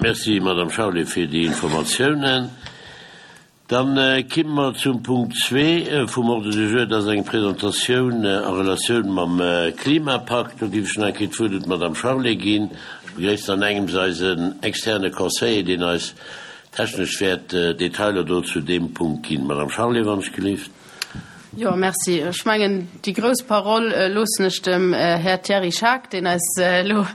Merci, Madame Charlé, fir déi Informatiounen. Dann kimme mer zum Punkt zwee vum Ordre du jour. Dat ass eng Presentatioun a Relatioun mam Klimapakt. Do géif ech nach eng Kéier d'Wuert un d'Madame Charlé ginn. Ech begréissen an engems eisen externe Conseiller, deen eis technesch wäert Detailer do zu deem Punkt ginn. Madame Charlé, wann ech gelift. Jo, merci. Ech mengen, déi grouss Parole loossen ech dem Här Thierry Schaack, deen eis elo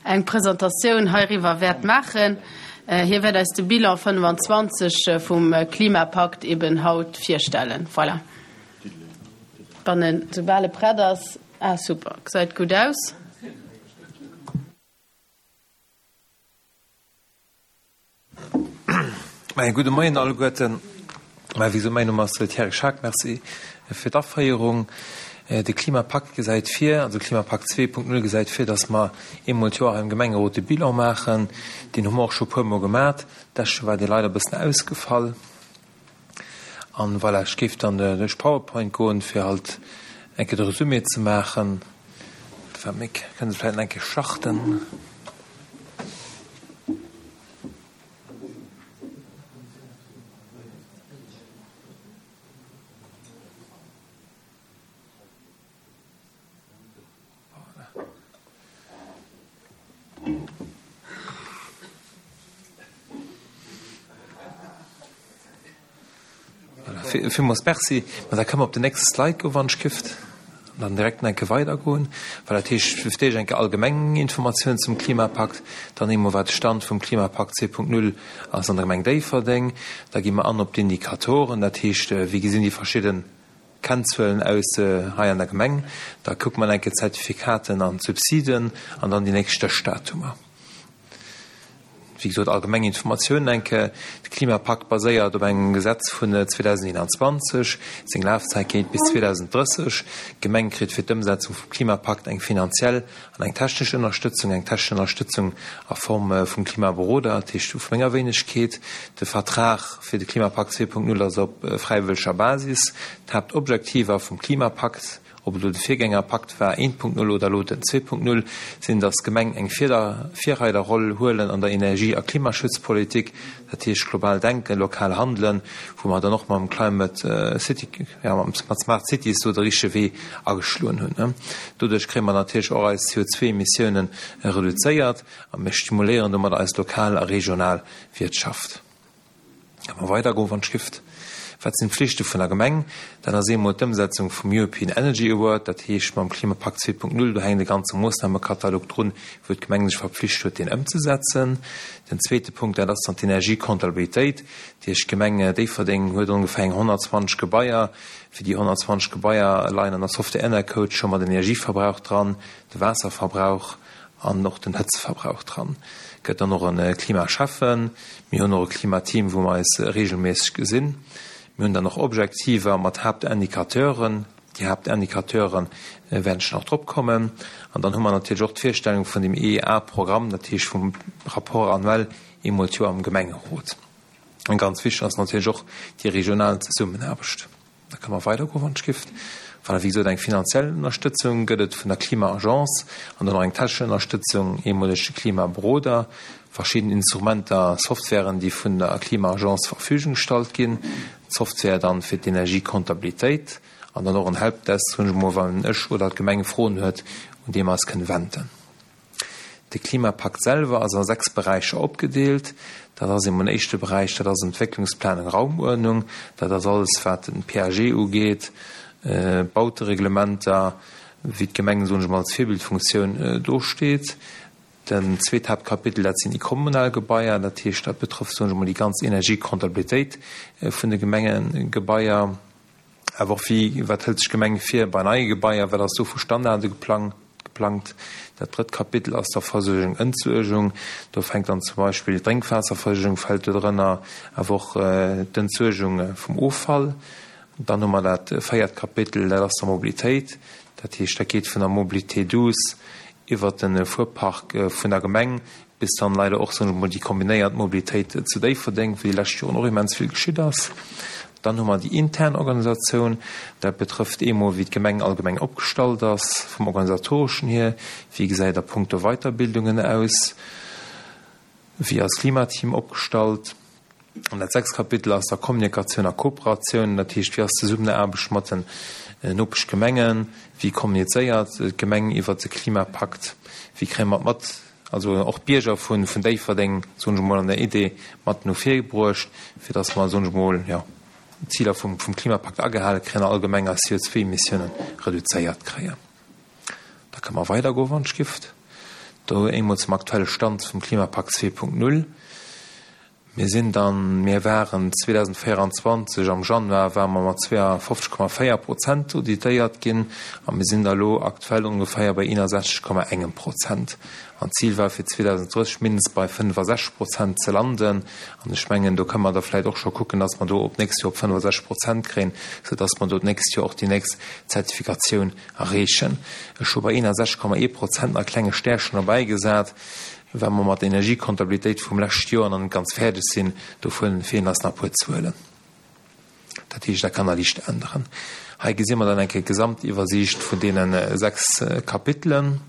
eng Presentatioun heiriwwer wäert maachen. Hie wäert eis de Bilan 25 vum Klimapakt eben haut virstellen. Voilà. Wann en, soubal e prett ass. Ah, super, gesäit gutt aus. Mäi gudde Moien alleguerten. Mä wéi gesot, mäin Numm ass Thierry Schaack. Merci fir d'Aféierung. De Klimapakt gesäit vir, also Klimapakt 2.0 gesäit vir, datt mer eemol d'Joer hei am Gemengerot de Bilan maachen. Deen hu mer och scho e puermol gemat. D'lescht Joer war dee leider e bëssen ausgefall. An voilà, ech géif dann duerch PowerPoint goen, fir halt eng Kéier de Resumé ze maachen. Wat, kënne se vläicht nach eng Kéier starten? Villmools Merci. Ma da kënne mer op den nächste Slide goen, wann ech gift, an dann direkt nach eng Kéier weidergoen. Well dat heescht, fir d'éischt eng Kéier allgemeng Informatiounen zum Klimapakt, dann eemol wat de Stand vum Klimapakt 2.0 ass an der Gemeng Déifferdeng. Da gi mer an op d'Indikatoren, dat heescht, wéi gesinn déi verschidden Kennzuelen aus hei an der Gemeng. Da kucke mer eng Kéier d'Zertifikaten an d'Subsiden an dann déi nächst Stéchdatumer. Wéi gesot, allgemeng Informatiounen eng Kéier. De Klimapakt baséiert op engem Gesetz vun 2021. Seng Lafzäit geet bis 2030. D'Gemeng kritt fir d'Ëmsetzung vum Klimapakt eng finanziell an eng technesch Ënnerstëtzung. Eng technesch Ënnerstëtzung a Form vum Klimaberoder, dat heescht vu menger Wéinegkeet. De Vertrag fir de Klimapakt 2.0 ass op fräiwëlleger Basis. D'Haaptobjektiver vum Klimapakt Ob et elo de Virgängerpakt war 1.0 oder elo den 2.0, sinn, datt d'Gemeng eng Virreiderroll huelen an der Energie a Klimaschutzpolitik, dat heescht global denken, lokal handelen, wou mer dann och mam Climate City, jo mat Smart Cities do de richtege Wee ageschloen hunn. Doduerch kréie mer natierlech och eis CO2-Emissiounen reduzéiert a mir stimuléieren domat eis lokal a regional Wiertschaft. Ka mer weidergoen, wann d'Schrift. Wat sinn d'Pflichte vun der Gemeng? Dat ass eemol d'Ëmsetzung vum European Energy Award, dat heescht mam Klimapakt 2.0, do hänkt e ganze Moossnamekatalog drun, wou d'Gemeng sech verpflicht huet, deen ëmzesetzen. Den zweete Punkt, dat ass dann d'Energiekontabilitéit. Dat heescht, d'Gemeng Déifferdeng huet ongeféier eng 120 Gebaier. Fir déi 120 Gebaier leien an der Software Enercode scho mat Energieverbrauch dran, de Waasserverbrauch, an och den Hëtztverbrauch dran. Gëtt dann och e Klimaschäffen. Mir hunn och e Klimateam, wou mer eis reegelméisseg gesinn. Mir hunn dann och Objektiver mat Haaptindicateuren. Déi Haaptindicateure wäerten ech nach drop kommen. An dann hu mer natierlech och d'Virstellung vun dem EEA-Programm, dat heescht vum Rapport annuel eemol d'Joer am Gemengerot. An ganz wichteg ass natierlech och déi regional Zesummenaarbecht. Da kënne mer weidergoen, wann ech gift. Voilà, wéi gesot, eng finanziell Ënnerstëtzung gëtt et vun der Klima-Agence an dann och eng technesch Ënnerstëtzung, eemoleg de Klimaberoder, verschidden Instrumenter, Softwaren, déi vun der Klima-Agence zur Verfügung gestallt ginn, d'Software dann fir d'Energiekontabilitéit an dann och en Helpdesk, soen ech emol, wann ech oder d'Gemeng Froen huet, un dee mer eis kënne wenden. De Klimapakt selwer ass a 6 Beräicher opgedeelt. Dat ass emol en éischte Beräich, dat ass Entwécklungsplanung, Raumuerdnung. Dat ass alles, wat den PAG ugeet, Bautereglementer, wéi d'Gemeng, soen ech emol, als Virbildfunktioun do steet. Den zweet Haaptkapitel, dat sinn déi kommunal Gebaier. Dat heescht, dat betrëfft, soen ech emol, déi ganz Energiekontabilitéit vun de Gemengegebaier. Awer och wéi, wat hëlt sech d'Gemeng vir bei neie Gebaier, wat ass do vu Standarde geplangt? Dat drëtt Kapitel ass da Versuergung, Entsuergung. Do fänkt dann zum Beispill d'Drénkwaasserversuergung fält do drënner, awer och d'Entsuergung vum Offall. Dann hu mer dat véiert Kapitel, dat ass da Mobilitéit. Dat heescht, dat geet vun der Mobilité douce iwwert de Fuerpark vun der Gemeng Bis dann leider och, soen ech emol, déi kombinéiert Mobilitéit zu Déifferdeng, wou déi lescht Joren och immens vill geschitt ass. Dann hu mer déi intern Organisatioun. Dat betrëfft eemol, wéi d'Gemeng allgemeng opgestallt ass vum Organisatoreschen hier, wéi gesäit a punkto Weiterbildungen aus. Wéi ass d'Klimateam opgestallt? An dat sechst Kapitel ass da Kommunikatioun a Kooperatioun. Dat heescht, wéi ass d'Zesummenaarbecht mat den Nopeschgemengen? Wéi kommunizéiert d'Gemeng iwwert de Klimapakt? Wéi kréie mer d'Mat, also och d'Bierger vun Déifferdeng, soen ech emol, an der Idee mat no vir bruecht, fir datt mer, soen ech emol, jo, d'Ziler vum Klimapakt agehale kréien a allgemeng eis CO2-Emissiounen reduzéiert kréien. Da kënne mer weidergoen, wann ech gift. Do eemol zum aktuelle Stand vum Klimapakt 2.0. Mir sinn dann, mir waren 2024 am Januar ware mer mat 52,4 Prozent auditéiert ginn a mir sinn da elo aktuell ongeféier bei 61,engem Prozent. An d'Zil war fir 2030 mindestens bei 65 Prozent ze landen. An ech mengen, do kënne mer da vläicht och scho kucken, dass mer do op d'nächst Joer op 65 Prozent kréien, soudass mer do d'nächst Joer och déi nächst Zertifikatioun erreechen. Ech hu bei 61,ee Prozent nach e klenge Stärchen derbäigesat, well mer mat der Energiekontabilitéit vum leschte Joer nach net ganz fäerdeg sinn. Dovun feelen eis nach e puer Zuelen. Dat heescht, dat kann nach liicht änneren. Hei gesi mer dann eng Kéier d'Gesamtiwwersiicht vun deene 6 Kapitelen.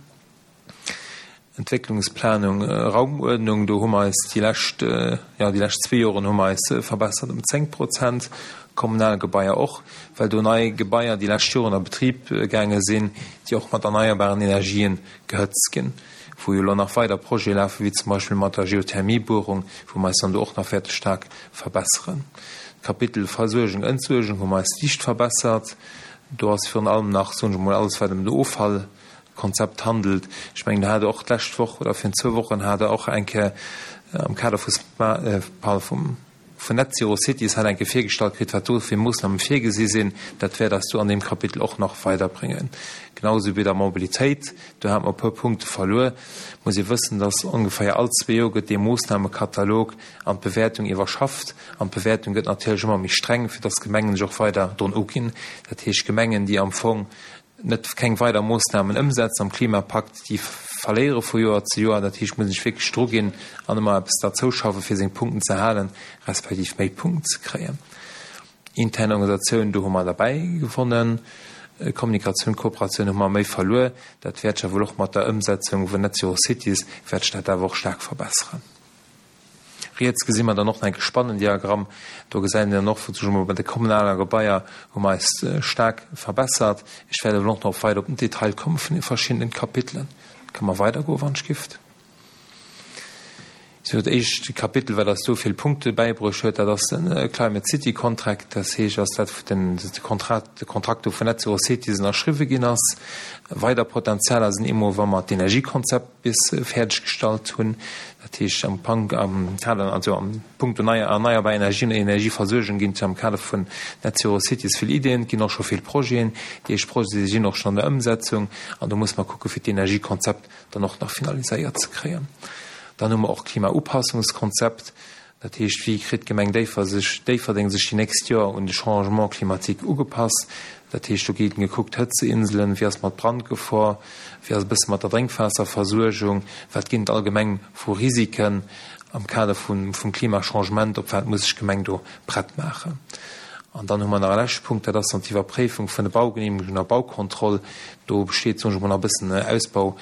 Entwécklungsplanung, Raumuerdnung, do hu mer eis déi lescht, jo, déi lescht zwee Joren hu mer eis verbessert ëm 10 Prozent. Kommunal Gebaier och, well do nei Gebaier déi lescht Joren a Betrib gaange sinn, déi och mat erneierbaren Energien gehëtzt ginn, wou jo elo nach weider Projete lafen, wéi zum Beispill mat der Geothermiebuerung, wou mer eis dann do och nach wäerte staark verbesseren. D'Kapitel Versuergung, Entsuergung hu mer eis liicht verbessert. Do ass virun allem nach, soen ech emol, alles wat ëm de Offall Konzept handelt. Ech mengen, do hat Der och d'lescht Woch oder virun zwou Wochen hat Der och eng Kéier am Kader vu pardon, vun Net Zero Cities hat eng Kéier virgestallt kritt, wat do fir Moossname virgesi sinn. Dat wäert eis do an deem Kapitel och nach weiderbréngen. Genau esou wéi der Mobilitéit, do hate mer e puer Punkte verluer. Muss ee wëssen, dass ongeféier all zwee Joer gëtt dee Moossnamekatalog an d'Bewäertung iwwerschafft. An d'Bewäertung gëtt natierlech ëmmer méi streng, fir dass d'Gemengen sech och weider drun uginn. Dat heescht, Gemengen, déi am Fong net keng weider Moossnamen ëmsetzen am Klimapakt, déi verléiere vu Joer zu Joer. Dat heescht, muss een sech wierklech druginn an ëmmer eppes derzouschaffen, fir seng Punkten ze halen, respektiv méi Punkten ze kréien. Intern Organisatioun, do hu mer derbäi gewonnen. Kommunikatioun, Kooperatioun hu mer méi verluer. Dat wäert sech awer och mat der Ëmsetzung vun Net Zero Cities wäert sech dat awer och staark verbesseren. Riets gesi mer dann och nach enke Spannendiagramm. Do gesäit een dann och, wou sech emol bei de kommunaler Gebaier hu mer eis staark verbessert. Ech wäert awer och nach weider op den Detail komme vun de verschiddenen Kapitelen. Kënne mer weidergoen, wann ech gift. Sou, dat éischt Kapitel, wat eis do vill Punkte bäibruecht huet, dat ass de Climate City Contract. Dat heescht, ass dat, wou den de Kontrakt, de Kontrakt do vun Net Zero Cities ënnerschriwwe ginn ass. Weider Potenzialer sinn eemol, wa mer d'Energiekonzept bis fäerdeg gestallt hunn, dat heescht am Pank, am Kader, also am Punkto nei erneierbar Energien an Energieversuergung ginn et jo am Kader vun Net Zero Cities vill Iddien, et ginn och scho vill Projeten, déi éischt Projete sinn och schonn an der Ëmsetzung an do musse mer kucke fir d'Energiekonzept dann och nach finaliséiert ze kréien. Dann hu mer och d'Klimaupassungskonzept, Dat heescht, wéi kritt d'Gemeng Déifferdeng sech déi nächst Joer un de Changement climatique ugepasst? Dat heescht, do gétt gekuckt, Hëtzeinselen, wéi ass mat Brandgefor, wéi ass e bësse mat der Drénkwaasserversuergung, wat ginn et allgemeng vu Risiken am Kader vum Klimachangement, op wat muss sech d'Gemeng do prett maachen? An dann hu mer nach e leschte Punkt, dat ass dann d'Iwwerpréifung vun de Baugenehmegungen a Baukontroll. Do besteet, soen ech emol, nach e bëssen Ausbau.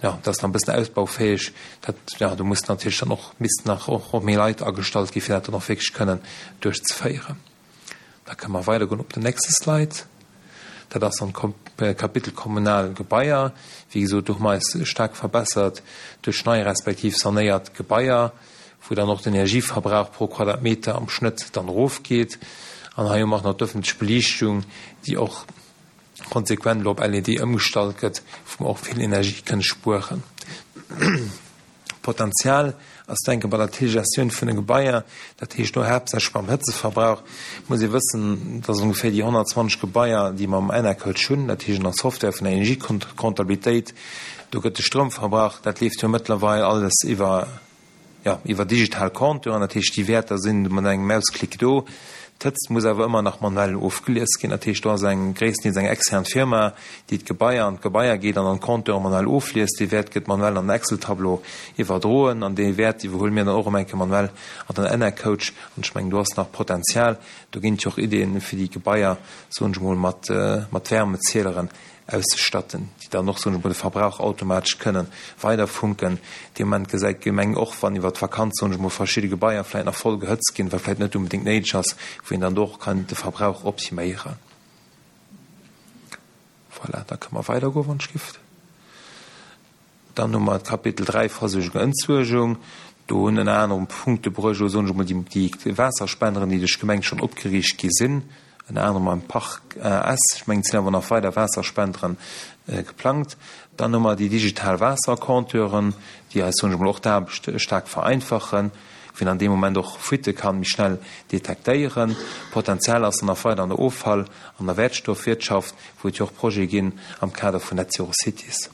Jo, dat ass nach e bëssen ausbaufäeg. Dat, jo, do mussen natierlech dann och, missten nach och méi Leit agestallt gi fir dat dann och wierklech kënnen duerchzeféieren. Da kënne mer weidergoen op den nächste Slide. Dat ass dann d'Kapitel kommunal Gebaier. Wéi gesot, do hu mer eis staark verbessert duerch nei respektiv sanéiert Gebaier, wou dann och den Energieverbrauch pro Quadratmeter am Schnëtt dann erofgeet. An hei hu mer och nach d'ëffentlech Beliichtung, déi och, konsequent elo op LED ëmgestallt gëtt, wou mer och vill Energie kënne spueren. Potenzial ass denke bei der Telegestioun vun de Gebaier, dat heescht do haaptsächlech beim Hëtzeverbrauch, muss ee wëssen, dass ongeféier déi 120 Gebaier, déi mer am Enercoach hunn, dat heescht an der Software vun der Energiekontabilitéit, do gëtt de Stroumverbrauch, dat leeft jo mëttlerweil alles iwwer jo, iwwer digital Compteuren, dat heescht déi Wäerter sinn mat engem Mausklick do. D'Hëtzt muss awer ëmmer nach manuell ofgelies ginn, dat heescht do ass eng gréisstendeels eng extern Firma, déi d'Gebaier an d'Gebaier geet an an d'Compteure manuell ofliest. Dee Wäert gëtt manuell an den Excel-Tableau iwwerdroen an dee Wäert iwwerhuele mir dann och erëm eng Kéier manuell an den Enercoach. An ech mengen do ass nach Potenzial, do ginn et jo och Iddien, fir déi Gebaier, soen ech emol, mat mat Wärmezieleren. auszestatten, déi dann och, soen ech mol, de Verbrauch automatesch kënnen weiderfunken. Dee Moment gesäit d'Gemeng och, wann iwwert d'Vakanz, soen ech mol, verschidde Gebaier vläicht nach voll gehëtzt ginn, wat vläicht net unbedéngt néideg ass, wou een dann do och kann de Verbrauch optiméieren. Voilà, da kënne mer weidergoen, wann ech giff. Dann hu mer d'Kapitel 3, Versuergung, Entsuergung. Do hunn ënner anerem Punkte bruecht, elo soen ech emol, déi Waasserspenderen, déi duerch d'Gemeng schonn opgeriicht gi sinn, ënner anerem am Park S. Ech mengen, et sinn awer nach weider Waasserspendere geplangt. Dann hu mer déi digital Waassercompteuren, déi eis, soen ech emol, och d'Aarbecht staark vereinfachen, wou een an deem Moment och Fuitte kann méi schnell detektéieren. Potenzial ass dann nach weider an der Offall an der Wäertstoffwirtschaft, wou et jo och Projete ginn am Kader vun Net Zero Cities.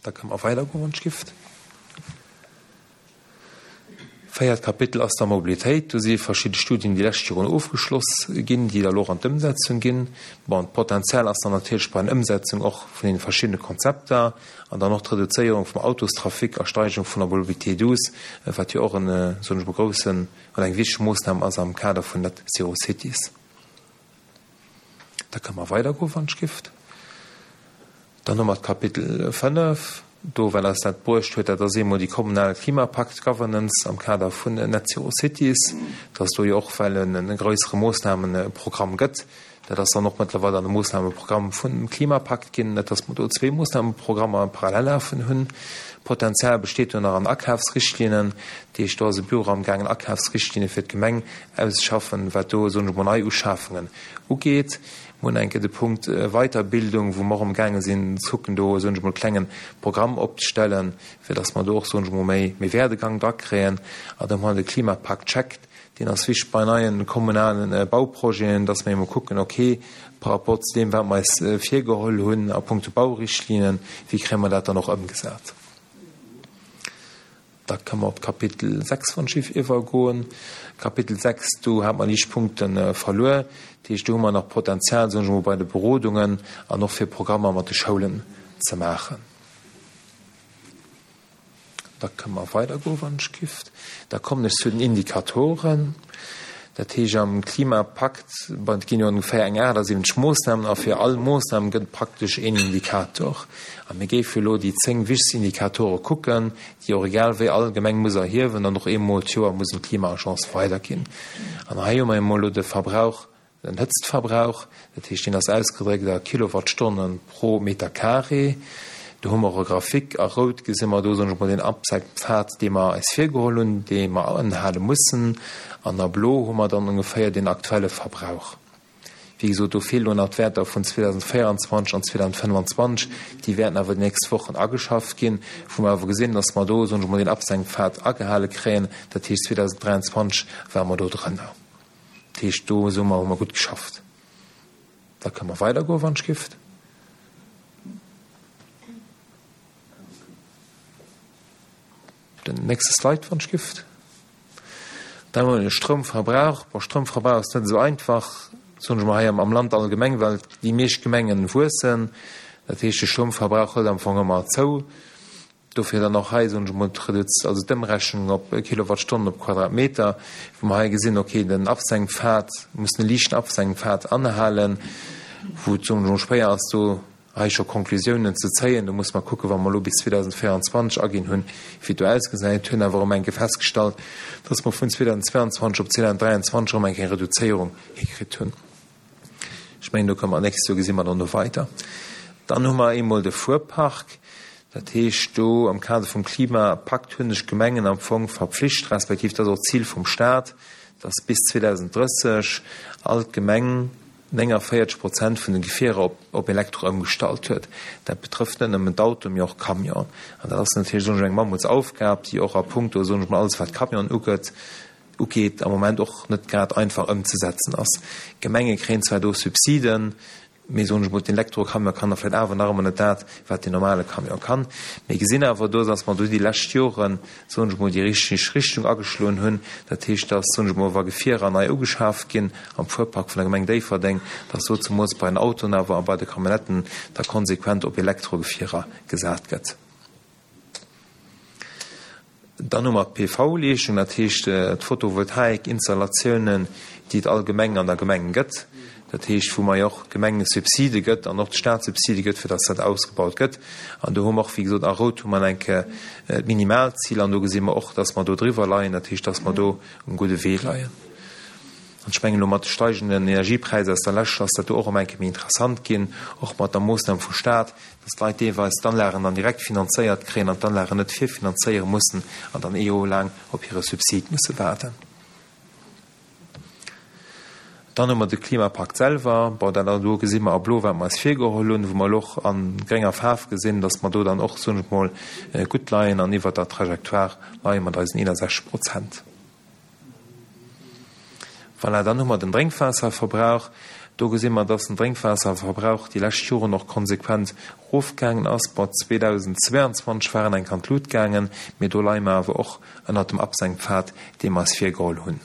Da kënne mer weidergoen, wann d'Schrift. Véiert Kapitel ass da Mobilitéit. Do si verschidde Studien déi lescht Joren ofgeschloss ginn, déi da elo och an d'Ëmsetzung ginn. Bon, d'Potenzial ass dann natierlech bei den Ëmsetzung och vun deene verschiddene Konzepter an dann och d'Reduzéierung vum Autostrafic a Steigerung vun der Mobilité douce, wat jo och en, soen ech mol, groussen oder eng wichteg Moossnam ass am Kader vun Net Zero Cities. Da kënne mer weidergoen, wann ech gift. Dann hu mer d'Kapitel 5, do wat eis dat bruecht huet, dat ass eemol déi kommunal Klimapakt-Governance am Kader vun Net Zero Cities, dass do jo och well en e grössere Moossnamenprogramm gëtt. Dat ass dann och mëttlerweil an de Moossnameprogramm vum Klimapakt ginn, net dass mer do zwee Moossnameprogrammer parallel lafen hunn. Potenzial besteet do nach an Akafsrichtlinnen. Dat heescht, do ass e Büro amgaangen Akafsrichtlinne fir d'Gemeng auszeschaffen, wat do, soen ech emol, nei Uschafungen ugeet. Mir hunn eng Kéier de Punkt Weiterbildung, wou mer och amgaange sinn ze kucken, do, soen ech emol, e klenge Programm opzestellen, fir dass mer do och, soen ech emol, méi, méi Werdegang drakréien. An da hu mer de Klimapakt-Check, deen ass wichteg bei neien kommunale Bauprojeten, dass mer emol kucken, okay, par rapport zu deem, wat mer eis virgeholl hunn a puncto Baurichtlinien, wéi kréie mer dat dann och ëmgesat? Da kënne mer op d'Kapitel 6 wann ech giff iwwergoen. Kapitel 6, do hate mer liicht Punkte verluer. Dat heescht, do hu mer nach Potenzial, soen ech emol, bei de Berodungen an och fir Programmer mat de Schoulen ze maachen. Da kënne mer weidergoen, wann ech giff. Da kommen ech zu den Indikatoren. Dat heescht, am Klimapakt, bon, et ginn jo ongeféier eng 78 Moossnamen a fir all Moossnam gëtt et praktesch een Indikator. A mir géife elo déi 10 wichtegst Indikatore kucken, déi och egal wéi all Gemeng muss erhiewen an och eemol d'Joer muss un d'Klima-Agence weiderginn. An hei hu mer emol elo de Verbrauch Den Hëtztverbrauch, dat heescht deen ass ausgedréckt a Kilowattstonne pro Meter carré. Do hu mer och e Graphique. A rout gesi mer do, soen ech mol, den Absenkpfad, dee mer eis virgeholl hunn, dee mer anhale mussen. An a blo hu mer dann ongeféier den aktuelle Verbrauch. Wéi gesot, do feelen elo nach d'Wäerter vun 2024 an 2025. Déi wäerten awer déi nächst Wochen ageschafft ginn, wou mer awer gesinn, dass mer do, soen ech mol, den Absenkpfad agehale kréien. Dat heescht, 2023 ware mer do drënner. Dat heescht, do soe mer, hu mer gutt geschafft. Da kënne mer weidergoen, wann ech gift. Den nächste Slide, wann ech gift. Dann hu mer de Stroumverbrauch. Bon, Stroumverbrauch ass net esou einfach, soen ech mol, hei am Land allgemeng, well déi meescht Gemengen wuessen. Dat heescht, de Stroumverbrauch hëlt am Fong ëmmer zou. Dofir dann och hei, soen ech emol, d'Reduz-, also d'Ëmrechnung op Kilowattstonnen op Quadratmeter, wou mer hei gesinn, okay, den Absenkpfad muss e liichten Absenkpfad anhalen, wou et, soen ech emol, schwéier ass, do hei scho Konklusiounen ze zéien. Do musse mer kucken, wa mer elo bis 2024 aginn hunn, wéi et do ausgesäit. Hunn awer erëm eng Kéier festgestallt, dass mer vun 2022 op 2023 erëm eng Kéier eng Reduzéierung hikritt hunn. Ech mengen, do komme mer d'nächst Joer, gesi mer dann do weider. Dann hu mer eemol de Fuerpark. Dat heescht, do am Kader vum Klimapakt hu sech d'Gemengen am Fong verpflicht, respektiv dat ass och d'Zil vum Stat, dass bis 2030 all d'Gemeng 49 Prozent vun de Gefierer op Elektro ëmgestallt huet. Dat betrëfft net nëmmen d'Autoen, mee och d'Camionen. An dat ass natierlech, soen ech, eng Mammutsaufgab, déi och a puncto, soen ech mol, alles wat Camionen ugeet, ugeet, am Moment och net grad einfach ëmzesetzen ass. D'Gemenge kréien zwar do Subsiden, mee soen ech mol, den Elektrocamion kann da vläicht awer nach ëmmer net dat, wat den normale Camion kann. Mir gesinn awer do, dass mer do déi lescht Joren, soen ech mol, déi richteg Richtung ageschloen hunn. Dat heescht, dass, soen ech mol, wa Gefierer nei ugeschaaft ginn am Fuerpark vun der Gemeng Déifferdeng, dass do zemools bei den Autoen awer a bei de Camionnetten da konsequent op Elektrogefierer gesat gëtt. Dann hu mer d'PV-Leeschtung, dat heescht d'Photovoltaik-Installatiounen, déi et allgemeng an der Gemeng gëtt. Dat heescht, wou mer jo och d'Gemeng e Subside gëtt an och de Stat Subside gëtt, fir dass dat ausgebaut gëtt. An do hu mer och, wéi gesot, a rout hu mer eng Kéier d'Minimalzil an do gesi mer och, dass mer do driwwer leien, dat heescht, dass mer do um gudde Wee leien. An ech mengen, elo mat de steigenden Energiepräisser aus der Lescht ass dat do och erëm eng Kéier méi interessant ginn, och mat der Moossnam vum Stat, dass d'Leit deelweis d'Anlagen dann direkt finanzéiert kréien an d'Anlagen net virfinanzéiere mussen an dann ee Joer laang op hire Subsid musse waarden. Dann hu mer de Klimapakt selwer. Bon, dat do gesi mer a blo, wat mer eis virgeholl hunn, wou mer elo och a grénger Faarf gesinn, dass mer do dann och, soen ech mol, gutt leien an iwwert der Trajectoire leie mat eisen 61 Prozent. Voilà, dann hu mer den Drénkwaasserverbrauch. Do gesi mer, dass den Drénkwaasserverbrauch déi lescht Joren och konsequent erofgaangen ass. Bon, 2022 war en enk an d'Lut gaangen, mee do leie mer awer och ënnert dem Absenkpfad, dee mer eis virgeholl hunn.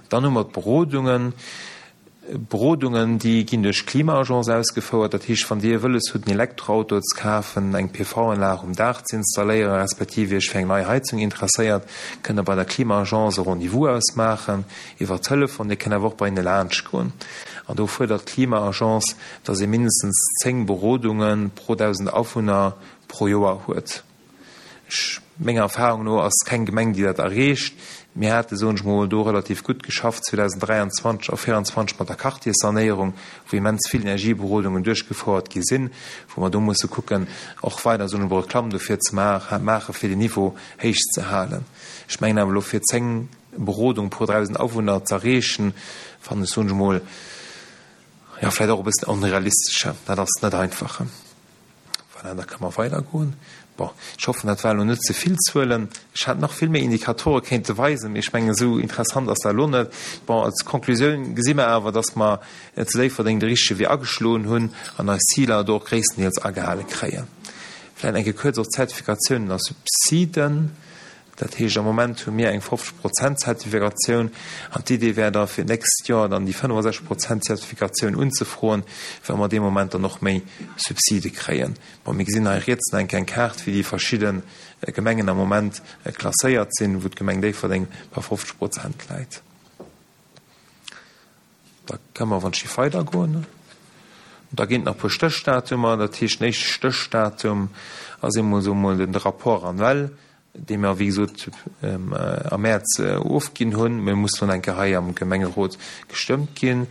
Dann hu mer d'Berodungen. Berodungen, déi ginn duerch d'Klima-Agence ausgefouert. Dat heescht, wann Dir wëlles hutt, en Elektroauto ze kafen, eng PV-Anlag um Daach ze installéieren, respektiv Iech fir eng nei Heizung interesséiert, kënnt Der bei der Klima-Agence e Rendez-vous ausmaachen iwwer Telefon. Dir kënnt awer och bei hinne laanschtgoen. An do fuerdert d'Klima-Agence, dass ee mindestens 10 Berodunge pro 1.000 Awunner pro Joer huet. Ech, menger Erfahrung no, ass keng Gemeng, déi dat erreecht. Mir hate, soen ech mol, do relativ gutt geschafft 2023 a 2024 mat der Quartierssanéierung, wou immens vill Energieberodungen duerchgefouert gi sinn, wou mer do musse kucken, och weider, soen ech mol, Reklamm dofir ze maachen, fir den Niveau héich ze halen. Ech mengen awer elo, fir 10 Berodung pro 1.000 Awunner z'erreechen, fannen ech, soen ech mol, jo, vläicht och e bëssen onrealistesche. Dat ass net einfach. Voilà, da kënne mer weidergoen. Bon, ech hoffen, dat waren elo net ze vill Zuelen. Ech hätt nach vill méi Indikatore kéinte weisen, mee ech mengen, esou interessant ass dat elo net. Bon, als Konklusioun gesi mer awer, dass mer zu Déifferdeng de richtege Wee ageschloen hunn an eis Ziler do och gréisstendeels agehale kréien. Vläicht eng Kéier kuerz och d'Zertifikatiounen a Subsiden. Dat heescht, am Moment hu mir eng 50 Prozent Zertifikatioun an d'Idee wär da fir d'nächst Joer dann déi 65 Prozent Zertifikatioun unzefroen, well mer dee Moment dann och méi Subside kréien. Bon, mir gesinn hei riets nach eng kleng Kaart, wéi déi verschidde Gemengen am Moment klasséiert sinn, wou d'Gemeng Déifferdeng bei 50 Prozent läit. Da kënne mer, wann ech géif weidergoen, da ginn et nach e puer Stéchdatumer. Dat heescht, den éischte Stéchdatum ass eemol, soe mer mol, de Rapport annuel, dee mer, wéi gesot, am Mäerz ofginn hunn. Mä e muss dann eng Kéier hei am Gemengerot gestëmmt ginn.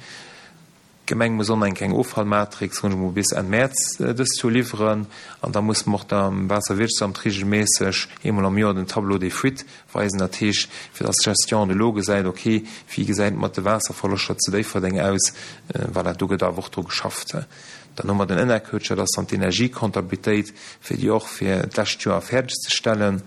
D'Gemeng muss och nach eng kleng Offallmatrix, soen ech mol, bis Enn Mäerz dëst Joer liwweren. An da musse mer och dem Waasserwirtschaftsamt regelméisseg eemol am Joer den Tableau des fuites weisen. Dat heescht, fir dass d'Gestion de l'eau gesäit, okay, wéi gesäit et mat de Waasserverloschter zu Déifferdeng aus. Voilà, do gëtt awer och dru geschafft. Dann hu mer den Enercoach, dat ass dann d'Energiecomptabilitéit, fir déi och fir d'lescht Joer fäerdeg ze stellen.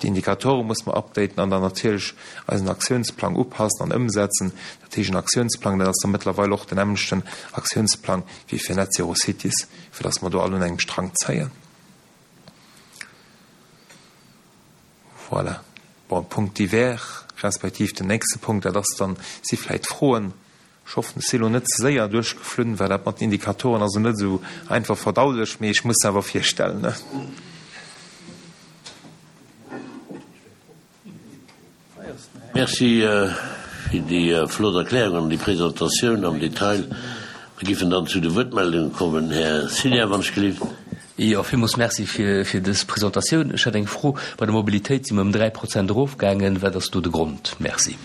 D'Indikatore muss mer updaten an dann natierlech eisen Aktiounsplang upassen an ëmsetzen. Dat heescht, en Aktiounsplang, dat ass da mëttlerweil och den nämmlechten Aktiounsplang wéi fir Net Zero Cities, fir datt mer do all un engem Strang zéien. Voilà. Bon, Punkt divers, respektiv den nächste Punkt, dat ass dann, si vläicht Froen. Ech hoffen, ech si lo net ze séier duerchgeflunn, well dat mat den Indikatoren ass elo net esou einfach verdaulech, mee ech muss se awer virstellen. Merci fir déi flott Erklärung an déi Presentatioun am Detail. Mir giffen dann zu de Wuertmeldunge kommen. Här Cilian, wann ech gelift. Jo, villmools Merci fir dës Presentatioun. Ech hätt eng Fro. Bei der Mobilitéit si mer ëm 3 Prozent erofgaangen. Wat ass do de Grond? Merci.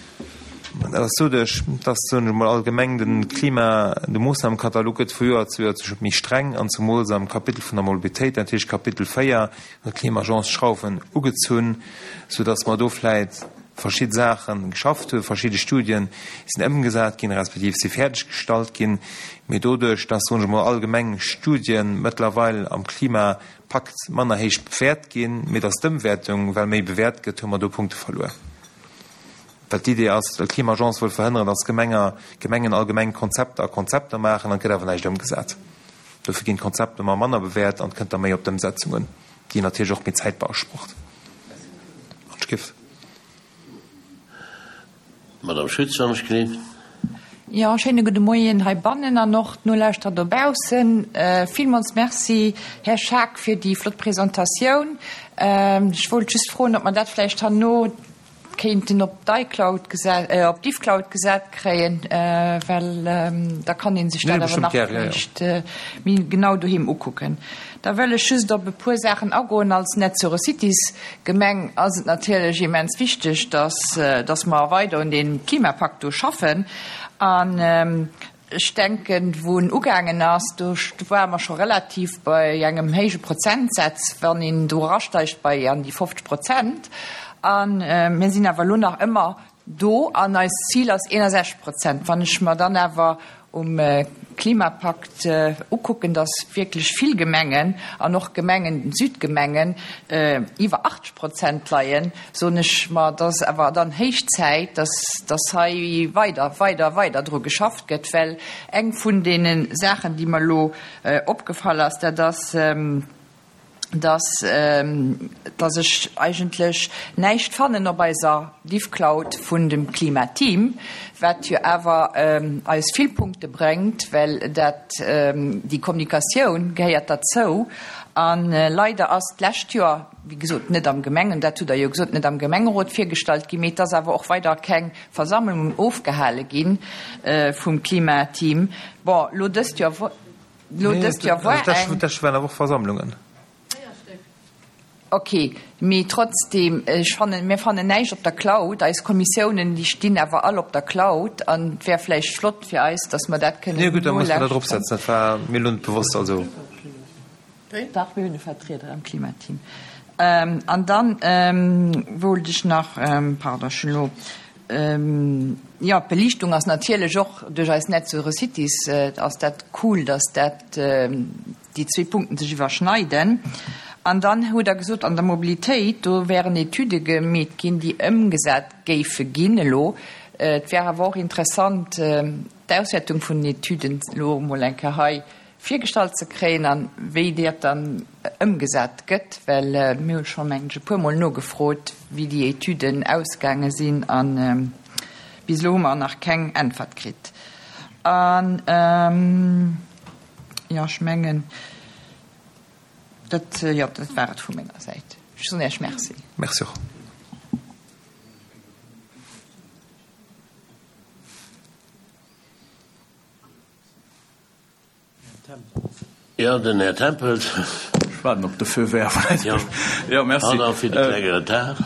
Dat ass doduerch, dass, soen ech emol allgemeng, de Klima, de Moossnamenkatalog gëtt vu Joer zu Joer zu méi streng an zemools am Kapitel vun der Mobilitéit, dat heescht Kapitel 4, huet d'Klima-Agence d'Schrauwen ugezunn, soudass mer do vläit verschidde Saache geschafft hunn, verschidde Studien sinn ëmgesat ginn, respektiv si fäerdeg gestallt ginn, mee doduerch, dass, soen ech emol allgemeng, Studien mëttlerweil am Klimapakt manner héich bewäert ginn, mee dass d'Ëmwäertung well méi bewäert gëtt, hu mer do Punkte verluer. Well d'Idee ass, d'Klima-Agence wëll verhënneren, datt Gemenger, Gemengen allgemeng Konzepter a Konzepter maachen an et gëtt awer näischt ëmgesat. Dofir ginn d'Konzepter ëmmer manner bewäert an et kënnt da méi op d'Ëmsetzung un, déi natierlech och méi Zäit beasprocht. Madame Schütz, wann ech gelift. Jo, schéine gudde Moien heibannen an och d'Nolauschterer dobaussen. Villmools Merci, Här Schaack, fir déi flott Presentatioun. Ech wollt just froen, ob mer dat vläicht herno. kéinten op d'iCloud gesat, op d'Ifcloud gesat kréien, well da kann ee sech dat awer nach vläicht méi genau doheem ukucken. Da wëll ech just op e puer Saachen agoen. Als NetZeroCities Gemeng ass et natierlech immens wichteg, dass, dass mer weider un deem Klimapakt do schaffen. An Ech denken, wou en ugaangen ass, do ware mer scho relativ bei engem héije Prozentsatz, wann een do erasteigt bei an déi 50 Prozent. A mir sinn awer elo nach ëmmer do an eist Zil ass 61 Prozent. Wann ech mer dann awer um Klimapakt ukucken, dass wierklech vill Gemengen an och Gemengen, Südgemengen, iwwer 80 Prozent leien, soen ech mer, et ass awer dann héich Zäit, dass, dass hei weider, weider, weider dru geschafft gëtt, well eng vun deene Saachen, déi mer elo opgefall ass, dat ass, dass, dass ech eigentlech näischt fannen op eiser Diffcloud vun dem Klimateam, wat jo awer eis vill Punkte bréngt, well dat, déi Kommunikatioun gehéiert derzou. A leider ass d'lescht Joer, wéi gesot, net am Gemengen, dat hutt Der jo gesot, net am Gemengerot virgestallt ginn, mee et ass awer och weider keng Versammlung ofgehale gi vum Klimateam. Bon, elo dëst Joer, elo dëst Joer war eng. D'lescht waren awer och Versammlungen. Ok, mee trotzdem, ech fannen, mir fannen näischt op der Cloud. Eis Kommissiounen, déi stinn awer all op der Cloud an et wär vläicht flott fir eis, datt mer dat kënnen Jo gutt, da muss mer dat eropsetzen. Dat war mir elo net bewosst, also. Dach, mir hunn e Vertrieder am Klimateam. An dann wollt ech nach, pardon, ech hunn elo, jo, d'Beliichtung ass natierlech och duerch eis NetZero Cities ass dat cool, dass dat, déi zwee Punkten sech iwwerschneiden. An dann hutt Der gesot, an der Mobilitéit, do wären Etüde gemeet ginn, déi ëmgesat géife ginn elo. Et wär awer och interessant, d'Auswäertung vun den Etüden elo emol eng Kéier hei virgestallt ze kréien an wéi dat dann ëmgesat gëtt, well mir hu scho mengen ech e puermol nogefrot, wéi déi Etüden ausgaange sinn a bis elo hu mer nach keng Äntwert kritt. An, jo, ech mengen, dat, jo, dat war et vu menger Säit. Ech soen Iech Merci. Merci och. Jo, den Här Tempels. Ech waarden op de Feu vert vläicht. Jo, merci. Pardon fir de klenge Retard.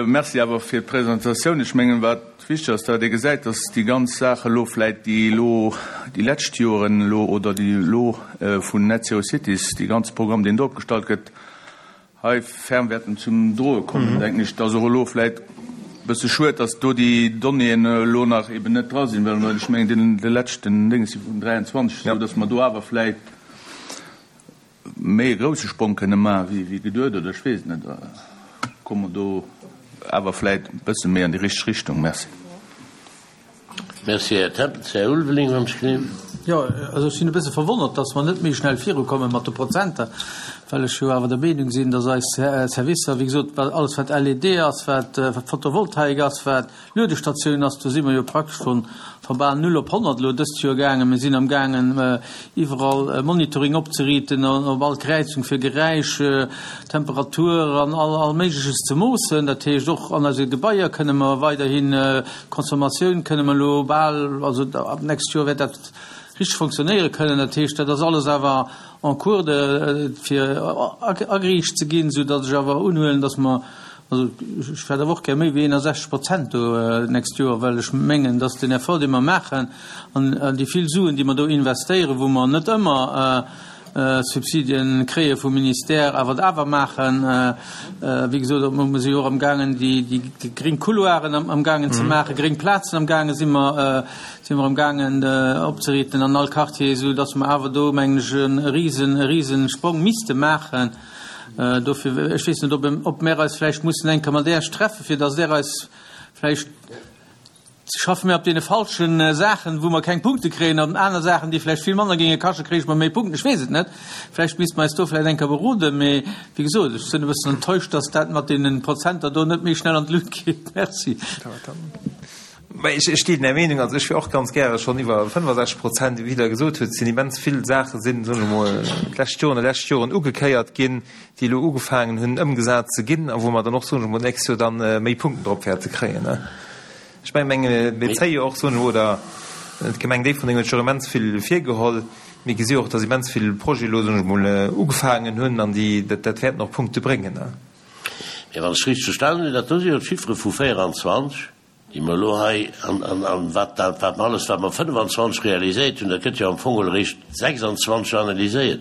Merci awer fir d'Presentatioun. Ech mengen, wat wichteg ass, datt ee gesäit, datt déi ganz Saach elo vläicht, déi elo déi lescht Joren elo oder déi elo vun Net Zero Cities, dee ganze Programm, deen do opgestallt gëtt, hei ferm wäerten zum Droe kommen, denken ech. Et ass och elo vläit e bësse schued, datt do déi Donnéeën elo nach eben net dra sinn, well ech mengen, deen de leschten Dénges si vun 23, esou datt mer do awer vläit méi e grouse Sprong kënne maache wéi geduet, oder ech weess et net. Komme mer do awer vläit e bësse méi an déi richteg Richtung. Merci. Merci, Här Tempels. Här Ulveling, wann ech gleewen. Jo, also ech sinn e bësse verwonnert, dass mer net méi schnell virukomme mat de Prozenter, well ech jo awer der Meenung sinn, dass eis Servicer, wéi gesot, wat alles wat LED ass, wat Photovoltaik ass, wat Luedestatiounen ass, do si mer jo praktesch von von bal null op 100 elo dëst Joer gaangen. Mir sinn amgaangen, iwwerall Monitoring opzeriiten, op all Kräizung fir Geräisch, Temperatur an all all Méigleches ze moossen. Dat heescht, och an eise Gebaier kënne mer weiderhin D'Consommatioun kënne mer elo bal, also ab d'nächst Joer wäert dat richteg fonctionnéiere kënnen. Dat heescht, dat ass alles awer en cours de fir ageriicht ze ginn, soudatt ech awer unhuelen, datt mer, also ech hätt awer och gär méi wéi 61 Prozent do d'nächst Joer, well ech mengen, datt den Effort, dee mer maachen an déi vill Suen, déi mer do investéieren, wou mer net ëmmer Subsidien kréie vum Ministère, awer et awer maachen. Wéi gesot, mer si jo och amgaangen, déi gréng Couloiren amgaangen ze maachen, gréng Plazen amgaange si mer, si mer amgaangen opzeriiten an all Quartier, esou datt mer awer do, mengen ech, e risen, e risen Sprong misste maachen. Dofir, ech weess net, ob, ob mer eis vläicht mussen eng Kéier mat Äech treffen, fir datt Der eis vläicht, Schaffe mir op deene falschen Saachen, wou mer keng Punkte kréien, an aner Saachen, déi vläicht vill manner géinge kaschten, kréige mer méi Punkten? Ech weess et net. Vläicht misste mer eis do vläicht eng Kéier beroden. Mee wéi gesot, ech sinn e bëssen enttäuscht, dass dat mat deene Prozenter do net méi schnell an d'Lut geet. Merci. Mä ech deelen Är Meenung. Also ech wier och ganz gäre schonn iwwer 65 Prozent. Wéi Der gesot hutt, sinn immens vill Saache sinn, soen ech emol, d'lescht Joren, déi lescht Joren ugekéiert ginn, déi elo ugefaangen hunn ëmgesat ze ginn a wou mer dann och, soen ech emol, d'nächst Joer dann méi Punkten drop wäerte kréien. Ech mengen, mir zéie jo och, soen ech emol, oder d'Gemeng Déifferdeng huet sech och immens vill virgeholl. Mir gesi jo och, dass immens vill Projete elo, soen ech emol, ugefaangen hunn an déi, dat wäerten och Punkte bréngen. Mä wann ech richteg verstanen hunn, dat do si jo d'Chiffere vu 24, déi mer elo hei, an, an, an wat dat, wat mer alles, wat mer 25 realiséiert hunn, dat gëtt jo am Fong geholl eréischt 26 analyséiert.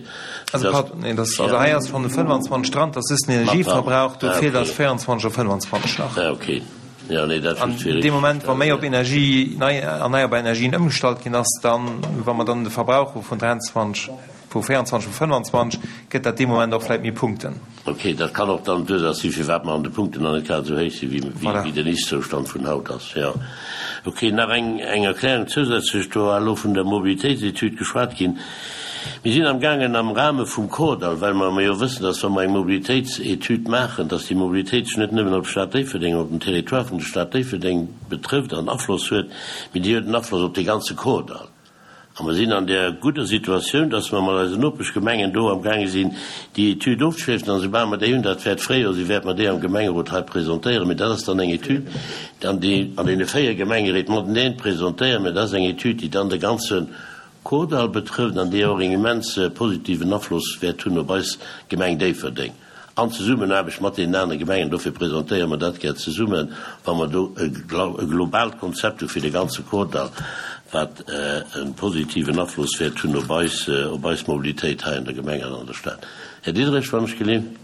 Also, pardon, nee, dat, also hei ass schonn de 25 dran, dat ass just den Energieverbrauch, do feelt eis 24 a 25 nach. Ah, okay. Jo, nee, dat just fir. An dee Moment, wa méi op Energie, nei, erneierbar Energien ëmgestallt ginn ass, dann, wa mer dann de Verbrauch hu vun 23, vu 24, vu 25, gëtt dat dee Moment och vläicht méi Punkten. Ok, dat kann och dann d'Ursaach sinn, firwat mer an de Punkten nach net grad esou héich sinn, wéi den Ist-Zoustand vun haut ass. Jo. Ok, nach eng eng Erklärung zousätzlech, do war elo vun der Mobilitéitsetüd geschwat ginn. Mir sinn amgaangen am Rahme vum Kordall, well mer jo wëssen, dass wa mer eng Mobilitéitsetüd maachen, dass déi Mobilitéit sech net nëmmen op d'Stad Déifferdeng, op den Territoire vun der Stad Déifferdeng betrëfft an Afloss huet, mee déi huet en Afloss op dee ganze Kordall. A mer sinn an där gudder Situatioun, dass mer mat eisen Nopeschgemengen do amgaange sinn, déi Etüd ofzeschléissen. An esoubal mer déi hunn, dat wäert d'Fréijoer sinn, wäerte mer déi am Gemengerot hei presentéieren. Mee dat ass dann eng Etüd, déi an an deene 4 Gemengeréit mateneen presentéieren. Mä dat ass eng Etüd, déi dann de ganze Kordall betrëfft an déi och en immens positiven Afloss wäert hunn op eis Gemeng Déifferdeng. An Zesummenaarbecht mat deenen anere Gemengen. Dofir presentéiere mer dat gär zesummen, wa mer do e globaalt Konzept hu fir de ganze Kordall, wat e positiven Afloss wäert hunn op eis, op eis Mobilitéit hei an der Gemeng an an der Stad. Här Diderich, wann ech geleent.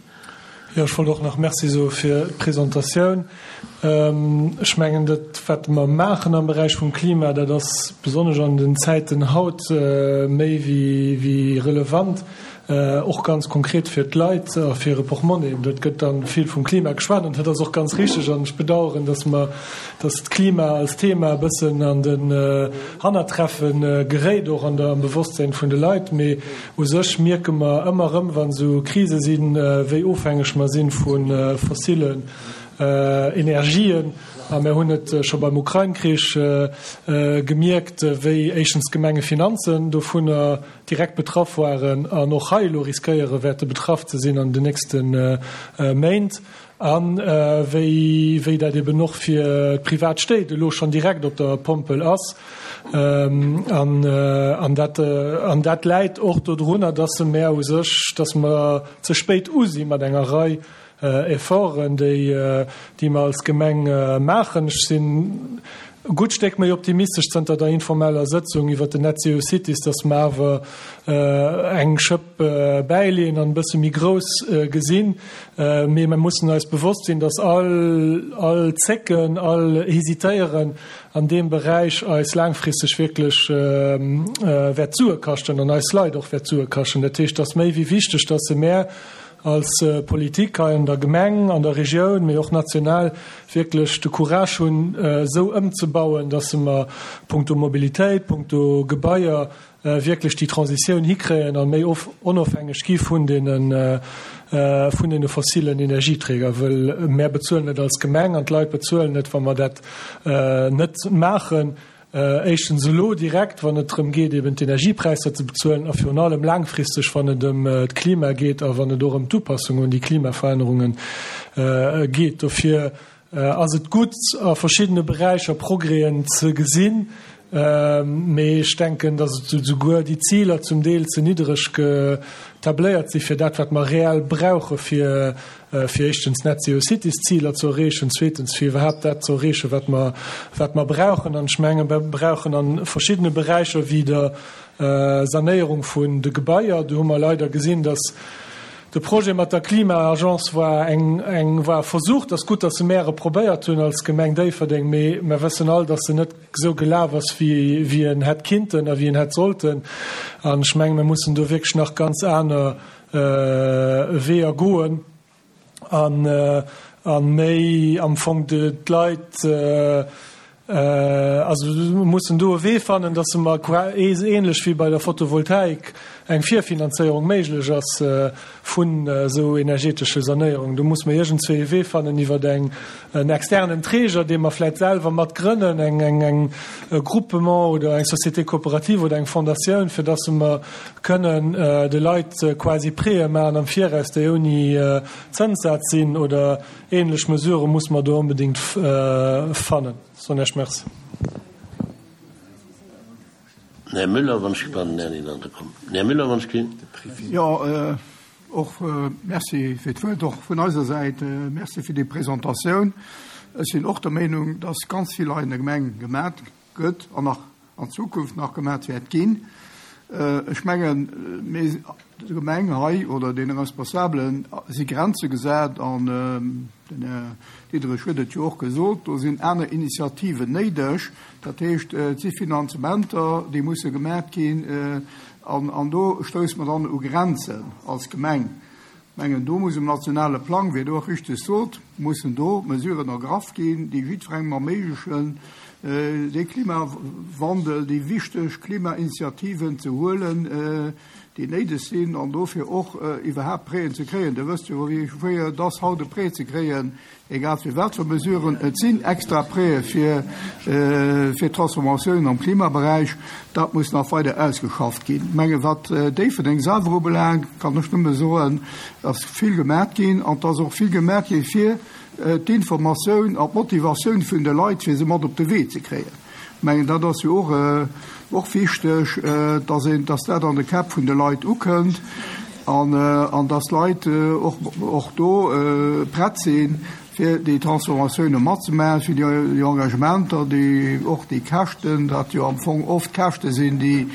Jo, ech wollt och nach Merci soe fir d'Presentatioun. Ech mengen, dat, wat mer maachen am Beräich vum Klima, dat ass besonnesch an den Zäiten haut méi wéi relevant. Och ganz konkret fir d'Leit a fir hire Portmonni. Et gëtt da vill vum Klima geschwat an dat ass och ganz richteg. An ech bedauern, dass mer, dass d'Klima als Thema e bëssen an den Hannertreffe geréit, och an der, am Bewosstsinn vun de Leit. Mee u sech mierke mer ëmmer erëm, wa sou Krise sinn, wéi ofhängeg mer si vu fossilen Energien. A mir hunn et scho beim Ukrain-Krich gemierkt, wéi éischtens d'Gemengefinanzen dovunner direkt betraff waren an och hei elo riskéiere wäerte betraff ze sinn an den nächste Méint, a wéi wéi dat eben och fir d'privat Stéit elo schonn direkt op der Pompel ass. An an dat an dat läit och dodrunner, dass mer u sech, dass mer ze spéit u si mat enger Rei Efforten, déi, déi mer als Gemeng maachen. Ech sinn e gutt Stéck méi optimistesch zënter der informeller Sëtzung iwwert den Net Zero Cities, dass mer awer eng Schëpp bäileeën an e bësse méi grouss gesinn. Mee mer mussen eis bewosst sinn, dass all, all Zécken, all Hesitéieren an deem Beräich eis laangfristeg wierklech wäert Sue kaschten an eis Leit och wäert Sue kaschten. Dat heescht, et ass méi wéi wichteg, dass se mär als Politik hei an der Gemeng, an der Regioun, mee och national wierklech de Courage hunn, esou ëmzebauen, dass mer punkto Mobilitéit, punkto Gebaier wierklech déi Transitioun hikréien a méi onofhängeg gi vun deene vun deene fossilen Energieträger. Wëll mär bezuelen et als Gemeng an d'Leit bezuelen et, wa mer dat net maachen. Éischtens elo direkt, wann et drëm geet, eben d'Energiepräisser ze bezuelen, a virun allem laangfristeg, wann et ëm d'Klima geet a wann et och ëm d'Upassung un déi Klimaverännerunge geet. Dofir ass et gutt, a verschiddene Beräicher Progrèsen ze gesinn, mee ech denken, datt et esouguer déi Ziler zum Deel ze niddereg getabléiert si fir dat, wat mer reell brauche fir fir éischtens Net Zero Cities Ziler ze erreechen, zweetens fir iwwerhaapt dat ze erreechen, wat mer, wat mer brauchen. An ech menge mer brauchen a verschiddene Beräicher wéi der Sanéierung vun de Gebaier, do hu mer leider gesinn, dass de Projet mat der Klima-Agence war eng, eng war e Versuch, dat ass gutt, dass se märe probéiert hunn als Gemeng Déifferdeng, mee mer wëssen all, dass se net esou gelaf ass, wéi, wéi en hätt kinnten a wéi en hätt sollten. An ech menge mer mussen do wierklech nach ganz aner Weeër goen an a méi am Fong d'Leit, also mussen do e Wee fannen, datt se mer ähnlech wéi bei der Photovoltaik. eng Virfinanzéierung méiglech ass vun esou energetesche Sanéierungen. Do muss mer iergendzwéi e Wee fannen iwwer eng en externen Träger, dee mer vläicht selwer mat grënnen, eng eng eng e Groupement oder eng Société coopérative oder eng Fondatioun, fir dass mer kënnen de Leit quasi Prêtë maachen am Viraus, déi ouni Zënssaz sinn oder ähnlech Mesurë muss mer do onbedéngt fannen. Soen Iech Merci. Den Här Müller, wann ech, pardon, den Här Nienander komm. Den Här Müller, wann ech ginn. Jo, och Merci fir d'Wuert och vun eiser Säit. Merci fir déi Presentatioun. Ech sinn och der Meenung, dass ganz vill hei an der Gemeng gemat gëtt an nach an Zukunft nach gemat wäert ginn. Ech mengen, mir, der Gemeng hei oder deene Responsabelen si Grenze gesat an den Här Diderich huet et jo och gesot, do sinn aner Initiativen néideg. Dat heescht, et si Finanzementer, déi musse gemaat ginn an do stousse mer dann u Grenzen als Gemeng. Ech mengen, do muss um nationale Plang, wéi Der och richteg sot, mussen do Mesuren ergraff ginn, déi jiddwerengem erméiglechen, dee Klimawandel, déi wichteg Klimainitiativen ze huelen, déi néideg sinn an dofir och iwwerhaapt Prêten ze kréien. Dir wësst jo, wéi schwéier et ass, haut e Prêt ze kréien, egal fir wat fir Mesuren. Et sinn extra Prêtë fir fir d'Transformatioun am Klimaberäich. Dat muss nach weider ausgeschafft ginn. Ech menge wat Déifferdeng selwer ubelaangt, kann ech nëmme soen, dass vill gemat ginn an dass och vill gemat gi fir d'Informatioun an d'Motivatioun vun de Leit, fir se mat op de Wee ze kréien. Ech mengen, dat ass jo och och wichteg, dass een, dass dat an de Käpp vun de Leit ukënnt an an dass d'Leit och och do prett sinn, fir déi Transformatioune matzemaachen, fir déi Engagementer, déi och déi Käschten, dat jo am Fong oft Käschte sinn, déi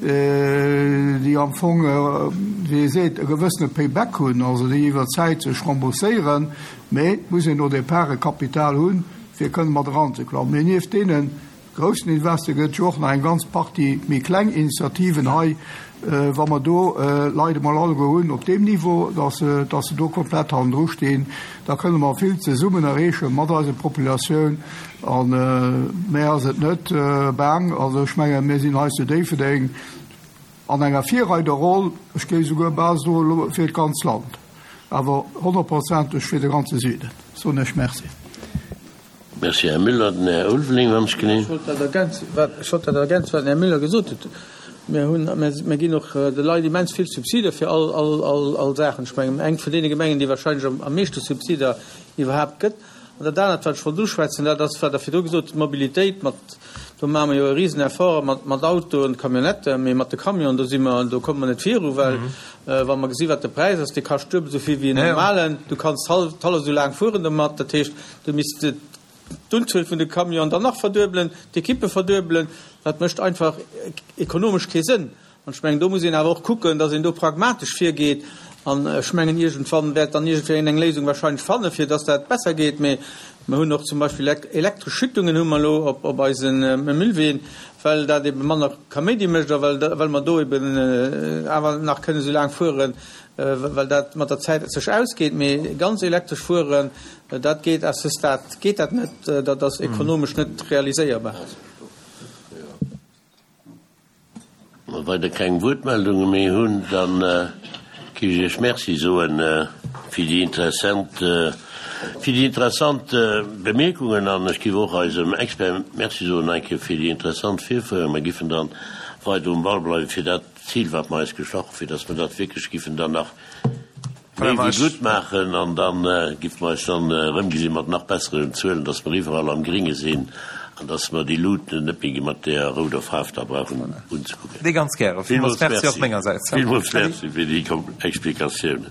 déi am Fong, wéi ee seet, e gewëssene Payback hunn, also déi iwwer d'Zäit sech rembourséieren, mä et muss een au départ e Kapital hunn, fir kënne mat eranzeklammen. Mee nieft deene groussen Investe gëtt et jo och nach eng ganz Partie méi kleng Initiativen hei. Wa mer do Leit emol alleguer hunn op deem Niveau, dass se, dass se do komplett hannendru stinn, da kënne mer vill zesummen erreeche mat eiser Populatioun. A mär ass et net baang. Also ech mengen, mir sinn hei zu Déifferdeng an enger Virreiderroll, ech géif esouguer bal soen, fir d'ganz Land, awer honnertprozenteg fir de ganze Süden. Soen ech Merci. Merci, Här Müller. Den Här Ulveling, wann ech genee. Ech wollt dat ergänzen, wat, ech wollt dat ergänzen, wat den Här Müller gesot huet. Mir hunn, mir, mir ginn och de Leit immens vill Subsider fir all, all, all, all Saachen. Ech mengen, eng vun deene Gemengen, déi wahrscheinlech am, am meeschte Subsider iwwerhaapt gëtt. An dat anert, wat ech wollt uschwätzen, dat ass, wat Der virdru gesot hutt, d'Mobilitéit mat, do maache mer jo e risen Effort mat, mat Autoen, Camionnetten, mee mat de Camionen, do si mer, do komme mer net viru, well wa mer gesi wat de Präis ass, dee kascht duebel esou vill wéi en normalen, du kanns hallef, hallef esou laang fueren domat, dat heescht, du misst d'Unzuel vun de Camionen dann nach verduebelen, d'Ekippe verduebelen, dat mécht einfach ekonomesch kee Sënn. An ech mengen, do muss een awer och kucken, datt een do pragmatesch virgeet. An ech mengen, iergendwann wäert dann iergendwéi een eng Léisung wahrscheinlech fannen, fir datt dat besser geet. Mee mer hunn och zum Beispill elektresch Schüttungen hu mer elo op eise Müllween, well dat ebe manner Kaméidi mécht a well mer do eben awer nach kënnen esou laang fueren, well dat mat der Zäit sech ausgeet. Mee ganz elektresch fueren, dat geet à ce stade geet dat net, dat ass ekonomesch net realiséierbar. Wa weider keng Wuertmeldunge méi hunn, da géif ech Iech Merci soen fir déi interessant, fir déi interessant Bemierkungen an ech géif och eisem Expert Merci soen eng Kéier fir déi interessant Virféierung. Mir giffen dann weider um Ball bleiwen, fir dat Zil, wat mer eis gestach hunn, fir datt mer dat wierklech giffen dann nach méi wéi gutt maachen an da giffe mer eis dann erëmgesinn mat nach besseren Zuelen, dass mer iwwerall am Gringe sinn an dass mer déi Luuten net méi mat deeër rouder Faarf da brauchen unzekucken. Ganz gäre. Villmools Merci och mengersäits. Villmools Merci fir déi Explikatiounen.